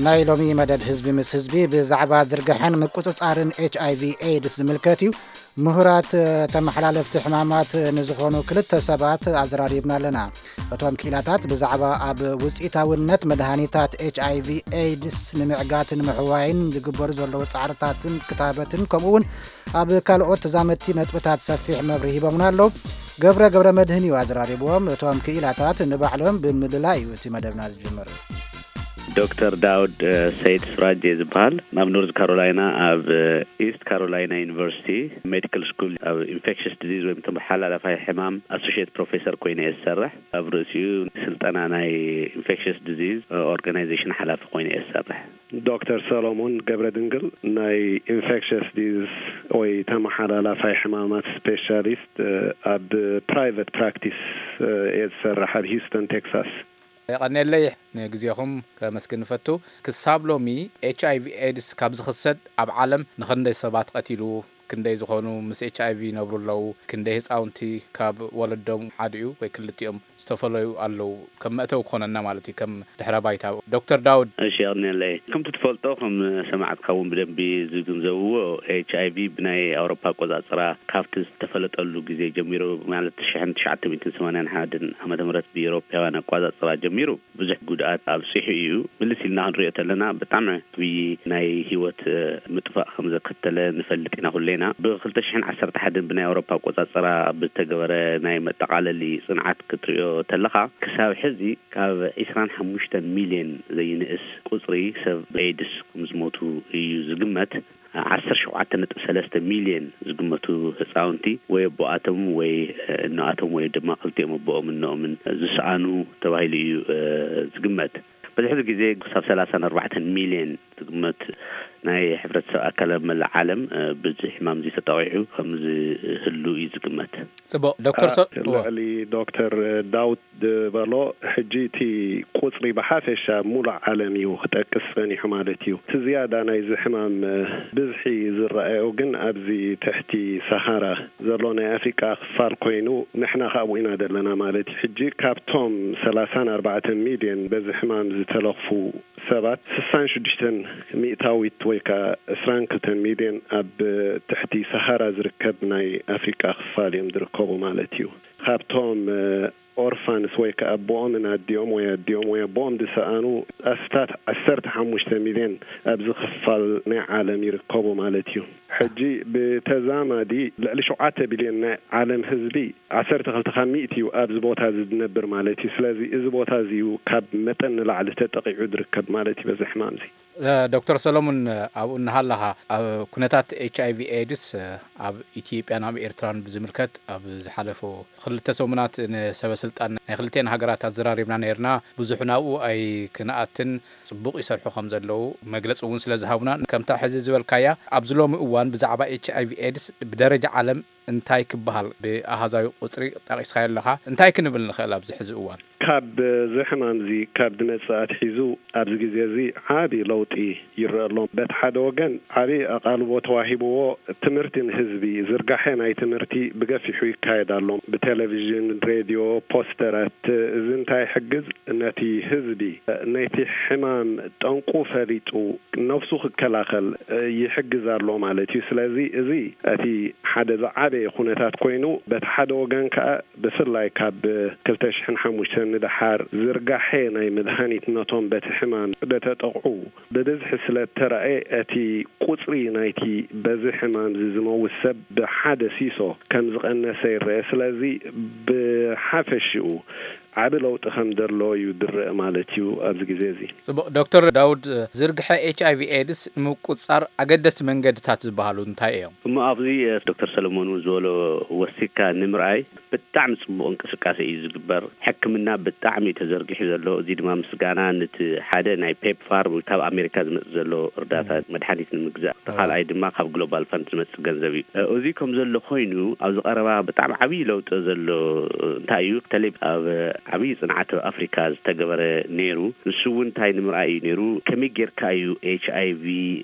ናይ ሎሚ መደብ ህዝቢ ምስ ህዝቢ ብዛዕባ ዝርግሐን ምቁጽጻርን ኤች ኣይ ቪ ኤድስ ዝምልከት እዩ። ምሁራት ተመሓላለፍቲ ሕማማት ንዝኾኑ ክልተ ሰባት ኣዘራሪብና ኣለና። እቶም ክኢላታት ብዛዕባ ኣብ ውጽኢታውነት መድሃኒታት ኤች ኣይ ቪ ኤድስ ንምዕጋትን ምሕዋይን ዝግበሩ ዘለዉ ጻዕርታትን ክታበትን፣ ከምኡ እውን ኣብ ካልኦት ተዛመድቲ ነጥብታት ሰፊሕ መብርሂ ሂቦምና ኣለዉ። ገብረ ገብረ መድህን እዩ ኣዘራሪብዎም። እቶም ክኢላታት ንባዕሎም ብምልላይ እዩ እቲ መደብና ዝጅምር። ዶክተር ዳውድ ሰይድ ስራጅ ዝበሃል፣ ኣብ ኖርዝ ካሮላይና ኣብ ኢስት ካሮላይና ዩኒቨርሲቲ ሜዲካል ስኩል ኣብ ኢንፌክሽስ ዲዚዝ ወይም ተመሓላላፋይ ሕማም ኣሶሽየት ፕሮፌሰር ኮይነ እየ ዝሰርሕ። ኣብ ርእሲኡ ስልጠና ናይ ኢንፌክሽስ ዲዚዝ ኦርጋናይዜሽን ሓላፊ ኮይነ እየ ዝሰርሕ። ዶክተር ሰሎሞን ገብረ ድንግል፣ ናይ ኢንፌክሽስ ዲዚዝ ወይ ተመሓላላፋይ ሕማማት ስፔሻሊስት ኣብ ፕራይቨት ፕራክቲስ እየ ዝሰርሕ ኣብ ሂውስተን ቴክሳስ። የቐንየለይ። ንግዜኹም ከመስግን ንፈቱ። ክሳብ ሎሚ ኤች ኣይ ቪ ኤድስ ካብ ዝኽሰት ኣብ ዓለም ንኽንደይ ሰባት ቀቲሉ፣ ክንደይ ዝኾኑ ምስ ኤች ኣይ ቪ ይነብሩ ኣለዉ፣ ክንደይ ህፃውንቲ ካብ ወለዶም ሓዲኡ ወይ ክልቲኦም ዝተፈለዩ ኣለዉ፣ ከም መእተዊ ክኾነና ማለት እዩ፣ ከም ድሕረ ባይታ። ዶክተር ዳውድ። እሺ፣ የቐንየለይ። ከምቲ ትፈልጦ፣ ከም ሰማዕትካ እውን ብደንቢ ዝግንዘብዎ፣ ኤች ኣይ ቪ ብናይ ኣውሮፓ ኣቆጻጽራ ካብቲ ዝተፈለጠሉ ግዜ ጀሚሩ፣ ማለት ሽሕን ትሽዓተ ሚእትን ሰማንያን ሓደን ዓመተ ምህረት ብኤውሮፓውያን ኣቆጻጽራ ጀሚሩ ብዙሕ ጉድኣት ኣብጺሑ እዩ። ምልስ ኢልና ክንሪኦ ተለና ብጣዕሚ ዓብዪ ናይ ህይወት ምጥፋእ ከም ዘከተለ ንፈልጥ ኢና ኩሌና። ብክልተ ሽሕን ዓሰርተ ሓደን ብናይ ኣውሮፓ ኣቆጻጽራ ብተገበረ ናይ መጠቓለሊ ጽንዓት ክትሪኦ ተለኻ፣ ክሳብ ሕዚ ካብ ዒስራን ሓሙሽተን ሚልዮን ዘይንእስ ቁጽሪ ሰብ ኤድስ ከም ዝሞቱ እዩ ዝግመት። ዓሰርተ ሸውዓተ ነጥቢ ሰለስተ ሚልዮን ዝግመቱ ህፃውንቲ ወይ ኣቦኣቶም ወይ እኖኣቶም ወይ ድማ ክልቲኦም ኣቦኦም እኖኦምን ዝሰኣኑ ተባሂሉ እዩ ዝግመት። በዚ ሕዚ ግዜ ክሳብ ሰላሳን ኣርባዕተን ሚልዮን ዝግመት ናይ ሕብረተሰብ ኣካል ኣብ መላእ ዓለም ብዚ ሕማም እዚ ተጠቒዑ ከም ዝህሉ እዩ ዝግመት። ጽቡቕ። ዶክተር ሶ- እወ። ልዕሊ ዶክተር ዳውድ ዝበሎ፣ ሕጂ እቲ ቁጽሪ ብሓፈሻ ሙሉእ ዓለም እዩ ክጠቅስ ጸኒሑ ማለት እዩ። እቲ ዝያዳ ናይዚ ሕማም ብዝሒ ዝረኣዮ ግን ኣብዚ ትሕቲ ሰሃራ ዘሎ ናይ ኣፍሪቃ ክፋል ኮይኑ፣ ንሕና ካብኡ ኢና ዘለና ማለት እዩ። ሕጂ ካብቶም ሰላሳን ኣርባዕተን ሚልዮን በዚ ሕማም ዝተለኽፉ ሰባት፣ ስሳን ሽዱሽተን ሚእታዊት ወይ ከኣ ዕስራን ክልተን ሚልዮን ኣብ ትሕቲ ሰሃራ ዝርከብ ናይ ኣፍሪቃ ክፋል እዮም ዝርከቡ ማለት እዩ። ካብቶም ኦርፋንስ ወይ ከኣ ኣቦኦምን ኣዲኦም ወይ ኣዲኦም ወይ ኣቦኦም ዝሰኣኑ ኣስታት ዓሰርተ ሓሙሽተ ሚልዮን ኣብዚ ክፋል ናይ ዓለም ይርከቡ ማለት እዩ። ሕጂ ብተዛማዲ ልዕሊ ሸውዓተ ቢልዮን ናይ ዓለም ህዝቢ ዓሰርተ ክልተ ካብ ሚእቲ እዩ ኣብዚ ቦታ እዚ ዝነብር ማለት እዩ። ስለዚ እዚ ቦታ እዚ እዩ ካብ መጠን ንላዕሊ ተጠቒዑ ዝርከብ ማለት እዩ በዚ ሕማም እዚ። ዶክተር ሰሎሙን፣ ኣብኡ እናሃለኻ ኣብ ኩነታት ኤች ኣይ ቪ ኤድስ ኣብ ኢትዮጵያን ኣብ ኤርትራን ብዝምልከት ኣብ ዝሓለፉ ክልተ ሰሙናት ንሰበ ስልጣን ናይ ክልቲኤን ሃገራት ኣዘራሪብና ነይርና። ብዙሕ ናብኡ ኣይክንኣትን፣ ጽቡቕ ይሰርሑ ከም ዘለዉ መግለጺ እውን ስለ ዝሃቡና፣ ከምታ ሕዚ ዝበልካያ ኣብዚ ሎሚ እዋን ብዛዕባ ኤች ኣይ ቪ ኤድስ ብደረጃ ዓለም እንታይ ክበሃል፣ ብኣሃዛዊ ቁጽሪ ጠቒስካዮ ኣለኻ፣ እንታይ ክንብል ንኽእል ኣብዚ ሕዚ እዋን? ካብ እዚ ሕማም እዚ ካብ ዝመጽእ ኣትሒዙ ኣብዚ ግዜ እዚ ዓቢ ለውጢ ይረአ ኣሎ። በቲ ሓደ ወገን ዓቢ ኣቓልቦ ተዋሂብዎ ትምህርቲ ንህዝቢ፣ ዝርጋሐ ናይ ትምህርቲ ብገፊሑ ይካየድ ኣሎ። ብቴሌቪዥን፣ ሬድዮ፣ ፖስተራት፣ እዚ እንታይ ይሕግዝ? ነቲ ህዝቢ ነቲ ሕማም ጠንቁ ፈሊጡ ነብሱ ክከላኸል ይሕግዝ ኣሎ ማለት እዩ። ስለዚ እዚ እቲ ሓደ ዝዓበየ ኩነታት ኮይኑ፣ በቲ ሓደ ወገን ከኣ ብፍላይ ካብ ክልተ ሽሕን ሓሙሽተን ንደሓር ዝርጋሐ ናይ መድሃኒት ነቶም በቲ ሕማም ዝተጠቕዑ ብብዝሒ ስለ እተራእየ፣ እቲ ቁጽሪ ናይቲ በዚ ሕማም እዚ ዝመውት ሰብ ብሓደ ሲሶ ከም ዝቐነሰ ይረአ። ስለዚ ብሓፈሽኡ ዓቢ ለውጢ ከም ዘሎ እዩ ዝረአ ማለት እዩ ኣብዚ ግዜ እዚ። ጽቡቕ። ዶክተር ዳውድ፣ ዝርግሐ ኤች ኣይ ቪ ኤድስ ንምቁጽጻር ኣገደስቲ መንገድታት ዝበሃሉ እንታይ እዮም? እሞ ኣብዚ ዶክተር ሰለሞን እውን ዝበሎ ወሲካ ንምርኣይ ብጣዕሚ ጽቡቕ እንቅስቃሴ እዩ ዝግበር። ሕክምና ብጣዕሚ እዩ ተዘርጊሑ ዘሎ። እዚ ድማ ምስጋና ነቲ ሓደ ናይ ፔፕፋር ካብ ኣሜሪካ ዝመጽእ ዘሎ እርዳታ መድሓኒት ንምግዛእ፣ እቲ ካልኣይ ድማ ካብ ግሎባል ፈንድ ዝመጽእ ገንዘብ እዩ። እዚ ከም ዘሎ ኮይኑ ኣብዚ ቀረባ ብጣዕሚ ዓብዪ ለውጢ ዘሎ እንታይ እዩ? በተለይ ኣብ ዓብዪ ጽንዓት ኣብ ኣፍሪካ ዝተገበረ ነይሩ። ንሱ እውን እንታይ ንምርኣይ እዩ ነይሩ? ከመይ ጌርካ እዩ ኤች ኣይ ቪ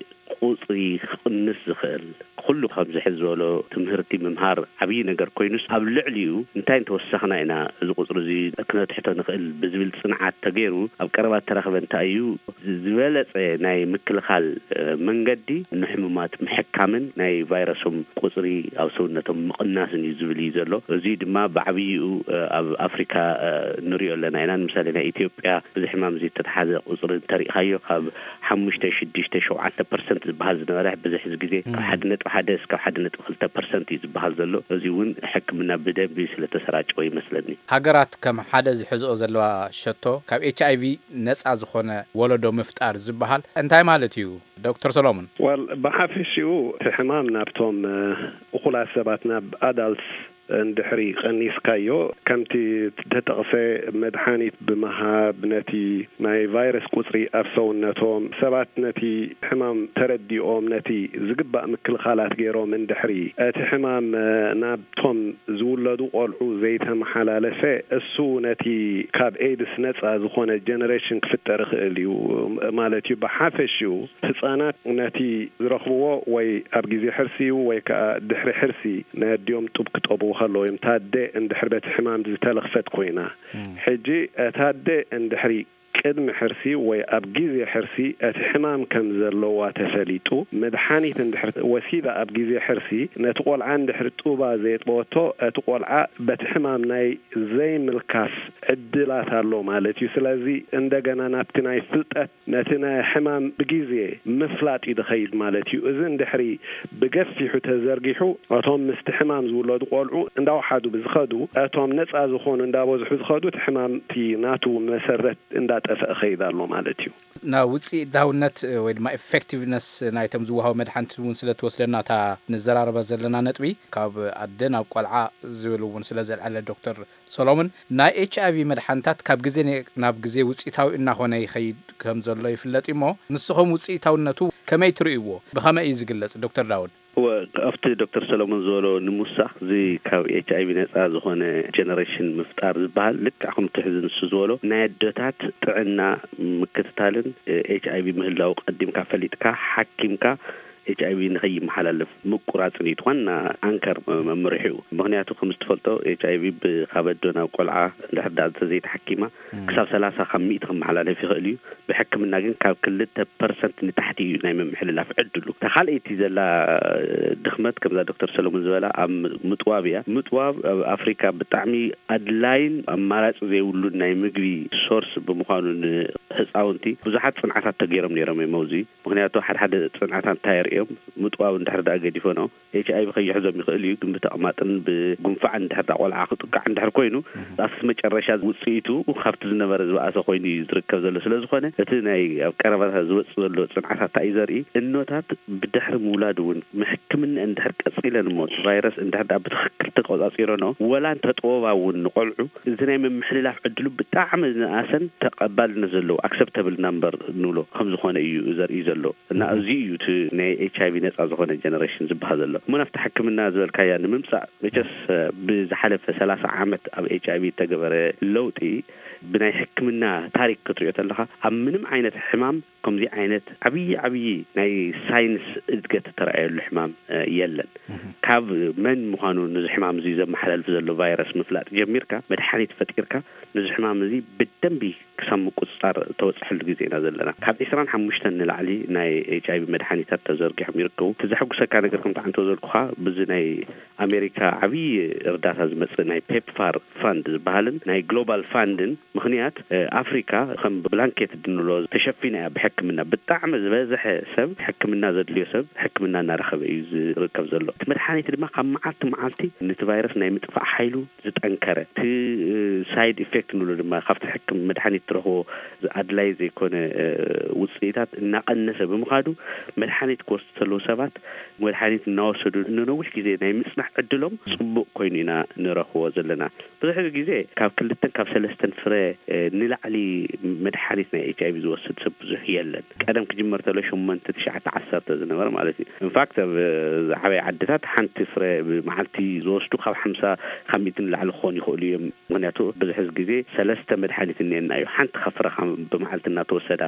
ቁጽሪ ክቕንስ ዝኽእል? ኩሉ ከምዚ ሕዚ ዝበሎ ትምህርቲ ምምሃር ዓብዪ ነገር ኮይኑስ፣ ኣብ ልዕሊኡ እንታይ እንተወሰኽና ኢና እዚ ቁፅሪ እዚ ክነትሕቶ ንኽእል ብዝብል ፅንዓት ተገይሩ ኣብ ቀረባ እተረኽበ እንታይ እዩ ዝበለፀ ናይ ምክልኻል መንገዲ ንሕሙማት ምሕካምን ናይ ቫይረሶም ቁፅሪ ኣብ ሰውነቶም ምቕናስን እዩ ዝብል እዩ ዘሎ። እዚ ድማ ብዓብይኡ ኣብ ኣፍሪካ ንሪኦ ኣለና ኢና። ንምሳሌ ናይ ኢትዮጵያ ብዚ ሕማም እዚ እተተሓዘ ቁፅሪ እንተሪእኻዮ ካብ ሓሙሽተ ሽዱሽተ ሸውዓተ ፐርሰንት ዝበሃል ዝነበረ ብዙሕ ግዜ ካብ ሓደ ነጥቢ ሓደ እስካብ ሓደ ነጥቢ ክልተ ፐርሰንት እዩ ዝበሃል ዘሎ። እዚ እውን ሕክምና ብደንቢ ስለተሰራጨወ ይመስለኒ። ሃገራት ከም ሓደ ዝሕዝኦ ዘለዋ ሸቶ ካብ ኤች ኣይ ቪ ነፃ ዝኾነ ወለዶ ምፍጣር ዝበሃል እንታይ ማለት እዩ ዶክተር ሰሎሞን? ወል ብሓፈሽኡ እቲ ሕማም ናብቶም እኹላት ሰባት ናብ ኣዳልትስ እንድሕሪ ቀኒስካዮ ከምቲ ተጠቕሰ መድሓኒት ብምሃብ ነቲ ናይ ቫይረስ ቁፅሪ ኣብ ሰውነቶም ሰባት ነቲ ሕማም ተረዲኦም ነቲ ዝግባእ ምክልኻላት ገይሮም እንድሕሪ እቲ ሕማም ናብቶም ዝውለዱ ቆልዑ ዘይተመሓላለፈ እሱ ነቲ ካብ ኤድስ ነፃ ዝኾነ ጀነሬሽን ክፍጠር ይኽእል እዩ ማለት እዩ። ብሓፈሽኡ ህፃናት ነቲ ዝረኽብዎ ወይ ኣብ ግዜ ሕርሲ እዩ ወይ ከዓ ድሕሪ ሕርሲ ናይ ኣዲኦም ጡብ ክጠብኡ ከለዉ እዮም። ታደ እንድሕር በቲ ሕማም ዝተለኽፈት ኮይና፣ ሕጂ ታደ እንድሕሪ ቅድሚ ሕርሲ ወይ ኣብ ግዜ ሕርሲ እቲ ሕማም ከም ዘለዋ ተፈሊጡ መድሓኒት እንድሕር ወሲዳ ኣብ ግዜ ሕርሲ ነቲ ቆልዓ እንድሕር ጡባ ዘየጥበወቶ እቲ ቆልዓ በቲ ሕማም ናይ ዘይምልካፍ ዕድላት ኣሎ ማለት እዩ። ስለዚ እንደገና ናብቲ ናይ ፍልጠት ነቲ ናይ ሕማም ብግዜ ምፍላጥ እዩ ዝኸይድ ማለት እዩ። እዚ እንድሕሪ ብገፊሑ ተዘርጊሑ እቶም ምስቲ ሕማም ዝውለዱ ቆልዑ እንዳወሓዱ ብዝኸዱ እቶም ነፃ ዝኾኑ እንዳበዝሑ ዝኸዱ እቲ ሕማም እቲ ናቱ መሰረት እንዳጠፍአ ኸይድ ኣሎ ማለት እዩ። ናብ ውፅኢታውነት ወይ ድማ ኤፌክቲቭነስ ናይቶም ዝወሃቡ መድሓንቲ እውን ስለ ትወስደና እታ ንዘራረበ ዘለና ነጥቢ ካብ ኣደ ናብ ቆልዓ ዝብል እውን ስለ ዘልዓለ ዶክተር ሰሎሞን፣ ናይ ኤች ኣይ ቪ መድሓኒታት ካብ ግዜ ናብ ግዜ ውፅኢታዊ እናኾነ ይኸይድ ከም ዘሎ ይፍለጥ እሞ ንስኹም ውፅኢታውነቱ ከመይ ትርእይዎ? ብኸመይ እዩ ዝግለፅ? ዶክተር ዳውድ። እወ፣ ኣብቲ ዶክተር ሰሎሞን ዝበሎ ንምውሳኽ፣ እዚ ካብ ኤች ኣይ ቪ ነፃ ዝኾነ ጀነሬሽን ምፍጣር ዝበሃል ልክዕ ከምቲ ሕዚ ንሱ ዝበሎ ናይ ኣደታት ጥዕና ምክትታልን ኤች ኣይ ቪ ምህላው ቀዲምካ ፈሊጥካ ሓኪምካ ኤች ኣይ ቪ ንኸይመሓላለፍ ምቁራፅን እዩ እቲ ዋና ኣንከር መምርሒኡ። ምኽንያቱ ከም ዝትፈልጦ ኤች ኣይ ቪ ካብ ኣዶ ናብ ቆልዓ እንድሕር ደኣ እንተዘይተሓኪማ ክሳብ ሰላሳ ካብ ሚእቲ ክመሓላለፍ ይኽእል እዩ። ብሕክምና ግን ካብ ክልተ ፐርሰንት ንታሕቲ እዩ ናይ ምምሕልላፍ ዕድሉ። እታ ካልኣይቲ ዘላ ድኽመት ከምዛ ዶክተር ሰለሙን ዝበላ ኣብ ምጥዋብ እያ። ምጥዋብ ኣብ ኣፍሪካ ብጣዕሚ ኣድላይን ኣማራፂ ዘይብሉን ናይ ምግቢ ሶርስ ብምዃኑ ንህፃውንቲ ብዙሓት ፅንዓታት ተገይሮም ነይሮም እዮም ኣብዚ። ምኽንያቱ ሓደ ሓደ ፅንዓታት እንታይ የርእዮም? ምጥዋብ እንድሕር ደኣ ገዲፈኖ ኤች ኣይ ቪ ከይሕዞም ይኽእል እዩ፣ ግን ብተቕማጥን ብጉንፋዕን እንድሕር ደኣ ቆልዓ ክጥቃዕ እንድሕር ኮይኑ ኣብቲ መጨረሻ ውፅኢቱ ካብቲ ዝነበረ ዝበኣሰ ኮይኑ እዩ ዝርከብ ዘሎ። ስለ ዝኾነ እቲ ናይ ኣብ ቀረባ ዝወፅእ ዘሎ ፅንዓታት እንታይ እዩ ዘርኢ? እኖታት ብድሕሪ ምውላድ እውን ሕክምና እንድሕር ቀፂለን እሞ ቫይረስ እንድሕር ደኣ ብትኽክል ተቆፃፂረኖ ወላ እንተጠወባ እውን ንቆልዑ እዚ ናይ ምምሕልላፍ ዕድሉ ብጣዕሚ ዝነኣሰን ተቐባልነት ዘለዎ ኣክሰፕተብል ናምበር ንብሎ ከም ዝኾነ እዩ ዘርኢ ዘሎ። እና እዚ እዩ እቲ ናይ ኤች ኣይ ቪ ነፃ ዝኾነ ጀነሬሽን ዝበሃል ዘሎ። እሞ ናብቲ ሕክምና ዝበልካያ ንምምፃእ መቸስ ብዝሓለፈ ሰላሳ ዓመት ኣብ ኤች ኣይ ቪ እተገበረ ለውጢ ብናይ ሕክምና ታሪክ ክትሪኦ ተለኻ ኣብ ምንም ዓይነት ሕማም ከምዚ ዓይነት ዓብዪ ዓብዪ ናይ ሳይንስ እድገት እተረኣየሉ ሕማም የለን። ካብ መን ምዃኑ ነዚ ሕማም እዚ ዘመሓላልፍ ዘሎ ቫይረስ ምፍላጥ ጀሚርካ መድሓኒት ፈጢርካ ነዚ ሕማም እዚ ብደንቢ ክሳብ ምቁፅፃር እተበፅሐሉ ግዜ ኢና ዘለና። ካብ ዒስራን ሓሙሽተን ንላዕሊ ናይ ኤች ኣይ ቪ መድሓኒታት ተዘርጊሖም ይርከቡ። እቲ ዘሐጉሰካ ነገር ከምቲ ዓንተ ዝበልኩኻ ብዚ ናይ ኣሜሪካ ዓብዪ እርዳታ ዝመፅእ ናይ ፔፕፋር ፋንድ ዝበሃልን ናይ ግሎባል ፋንድን ምኽንያት ኣፍሪካ ከም ብላንኬት ድንብሎ ተሸፊና እያ ብሕክምና። ብጣዕሚ ዝበዝሐ ሰብ ሕክምና ዘድልዮ ሰብ ሕክምና እናረኸበ እዩ ዝርከብ ዘሎ። እቲ መድሓኒት ድማ ካብ መዓልቲ መዓልቲ ነቲ ቫይረስ ናይ ምጥፋእ ሓይሉ ዝጠንከረ እቲ ሳይድ ኢፌክት ንብሎ ድማ ካብቲ ሕክም መድሓኒት ትረኽቦ ኣድላይ ዘይኮነ ውፅኢታት እናቐነሰ ብምኻዱ መድሓኒት ክወስዱ ዘለዉ ሰባት መድሓኒት እናወሰዱ ንነዊሕ ግዜ ናይ ምፅናሕ ዕድሎም ፅቡቕ ኮይኑ ኢና ንረኽቦ ዘለና። ብዙሕ ግዜ ካብ ክልተን ካብ ሰለስተን ፍረ ንላዕሊ መድሓኒት ናይ ኤች ኣይ ቪ ዝወስድ ሰብ ብዙሕ የለን። ቀደም ክጅመር ተሎ ሸሞንተ ትሽዓተ ዓሰርተ ዝነበረ ማለት እዩ። ኢንፋክት ኣብ ዝዓበየ ዓድታት ሓንቲ ፍረ ብመዓልቲ ዝወስዱ ካብ ሓምሳ ካብ ሚእቲ ንላዕሊ ክኾኑ ይኽእሉ እዮም። ምክንያቱ ብዙሕ ግዜ ሰለስተ መድሓኒት እኒአና እዩ ሓንቲ ካብ ፍረ ብመዓልቲ እናተወሰዳ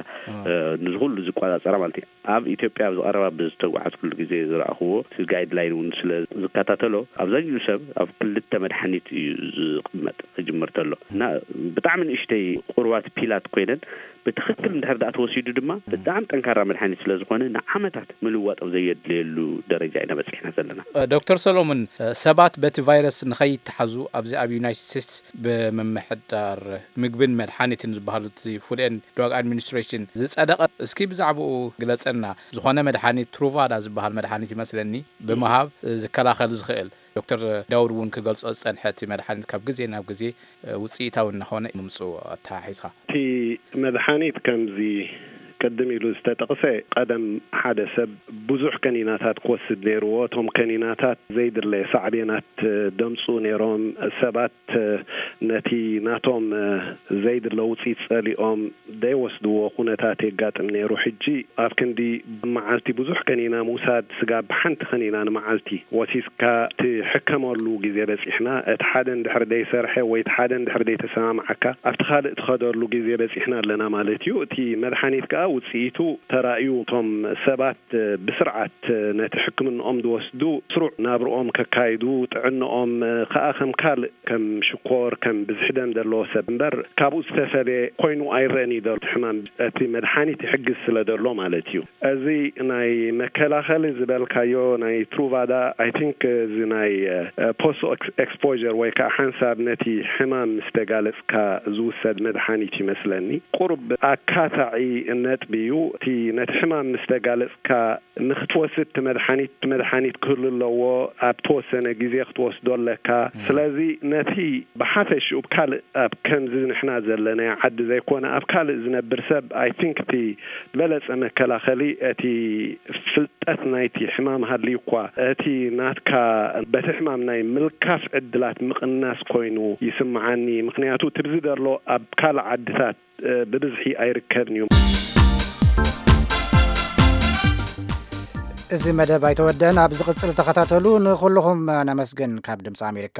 ንዝኩሉ ዝቆፃፀራ ማለት እዩ። ኣብ ኢትዮጵያ ኣብ ዝቐረባ ዝተጓዓዝኩሉ ግዜ ዝረኣኽዎ፣ እቲ ጋይድላይን እውን ስለ ዝከታተሎ፣ ኣብዛኛኡ ሰብ ኣብ ክልተ መድሓኒት እዩ ዝቕመጥ ክጅምር ተሎ። እና ብጣዕሚ ንእሽተይ ቁርባት ፒላት ኮይነን ብትኽክል እንድሕር ደኣ ተወሲዱ ድማ ብጣዕሚ ጠንካራ መድሓኒት ስለ ዝኾነ ንዓመታት ምልዋጥ ኣብ ዘየድልየሉ ደረጃ ኢና በፂሕና ዘለና። ዶክተር ሰሎሞን፣ ሰባት በቲ ቫይረስ ንኸይተሓዙ ኣብዚ ኣብ ዩናይትድ ስቴትስ ብምምሕዳር ምግብን መድሓኒትን ዝበሃሉ እቲ ፉድ ኤንድ ድራግ ኣድሚኒስትሬሽን ዝጸደቐ፣ እስኪ ብዛዕባኡ ግለጸና። ዝኾነ መድሓኒት፣ ትሩቫዳ ዝበሃል መድሓኒት ይመስለኒ፣ ብምሃብ ዝከላኸል ዝኽእል፣ ዶክተር ዳውድ እውን ክገልጾ ዝጸንሐ፣ እቲ መድሓኒት ካብ ግዜ ናብ ግዜ ውጽኢታዊ እናኾነ ምምጽኡ ኣተሓሒዝካ። እቲ መድሓኒት ከምዚ ቅድም ኢሉ ዝተጠቕሰ፣ ቀደም ሓደ ሰብ ብዙሕ ከኒናታት ክወስድ ነይርዎ። እቶም ከኒናታት ዘይድለየ ሳዕቤናት ደምጹ ነይሮም። ሰባት ነቲ ናቶም ዘይድለ ውጽኢት ጸሊኦም ዘይወስድዎ ኩነታት የጋጥም ነይሩ። ሕጂ ኣብ ክንዲ መዓልቲ ብዙሕ ከኒና ምውሳድ፣ ስጋብ ሓንቲ ከኒና ንመዓልቲ ወሲድካ ትሕከመሉ ግዜ በጺሕና። እቲ ሓደ እንድሕር ዘይሰርሐ ወይ እቲ ሓደ እንድሕር ዘይተሰማምዓካ፣ ኣብቲ ካልእ ትኸደሉ ግዜ በጺሕና ኣለና ማለት እዩ። እቲ መድሓኒት ከኣ ውጽኢቱ ተራእዩ፣ እቶም ሰባት ብስርዓት ነቲ ሕክምንኦም ዝወስዱ፣ ስሩዕ ናብርኦም ከካይዱ፣ ጥዕንኦም ከኣ ከም ካልእ፣ ከም ሽኮር፣ ከም ብዝሒ ደም ዘለዎ ሰብ እምበር፣ ካብኡ ዝተፈልየ ኮይኑ ኣይረኣን እዩ ዘሎ። እቲ ሕማም፣ እቲ መድሓኒት ይሕግዝ ስለ ዘሎ ማለት እዩ። እዚ ናይ መከላኸሊ ዝበልካዮ ናይ ትሩቫዳ፣ ኣይ ቲንክ፣ እዚ ናይ ፖስት ኤክስፖር ወይ ከዓ ሓንሳብ ነቲ ሕማም ምስ ተጋለጽካ ዝውሰድ መድሓኒት ይመስለኒ። ቁሩብ ኣካታዒ ነጥቢ እዩ። እቲ ነቲ ሕማም ምስ ተጋለጽካ ንክትወስድ እቲ መድሓኒት፣ እቲ መድሓኒት ክህሉ ኣለዎ። ኣብ ተወሰነ ግዜ ክትወስዶ ኣለካ። ስለዚ ነቲ ብሓፈሽኡ፣ ኣብ ካልእ፣ ኣብ ከምዚ ንሕና ዘለናዮ ዓዲ ዘይኮነ፣ ኣብ ካልእ ዝነብር ሰብ፣ ኣይ ቲንክ፣ እቲ ዝበለጸ መከላኸሊ እቲ ፍልጠት ናይቲ ሕማም ሃልዩ እኳ፣ እቲ ናትካ በቲ ሕማም ናይ ምልካፍ ዕድላት ምቕናስ ኮይኑ ይስምዓኒ። ምኽንያቱ፣ ትብዚ ዘሎ ኣብ ካልእ ዓድታት ብብዝሒ ኣይርከብን እዩ። እዚ መደብ ኣይተወደን፣ ኣብ ዝቕጽል ተኸታተሉ። ንኹልኹም ነመስግን። ካብ ድምፂ ኣሜሪካ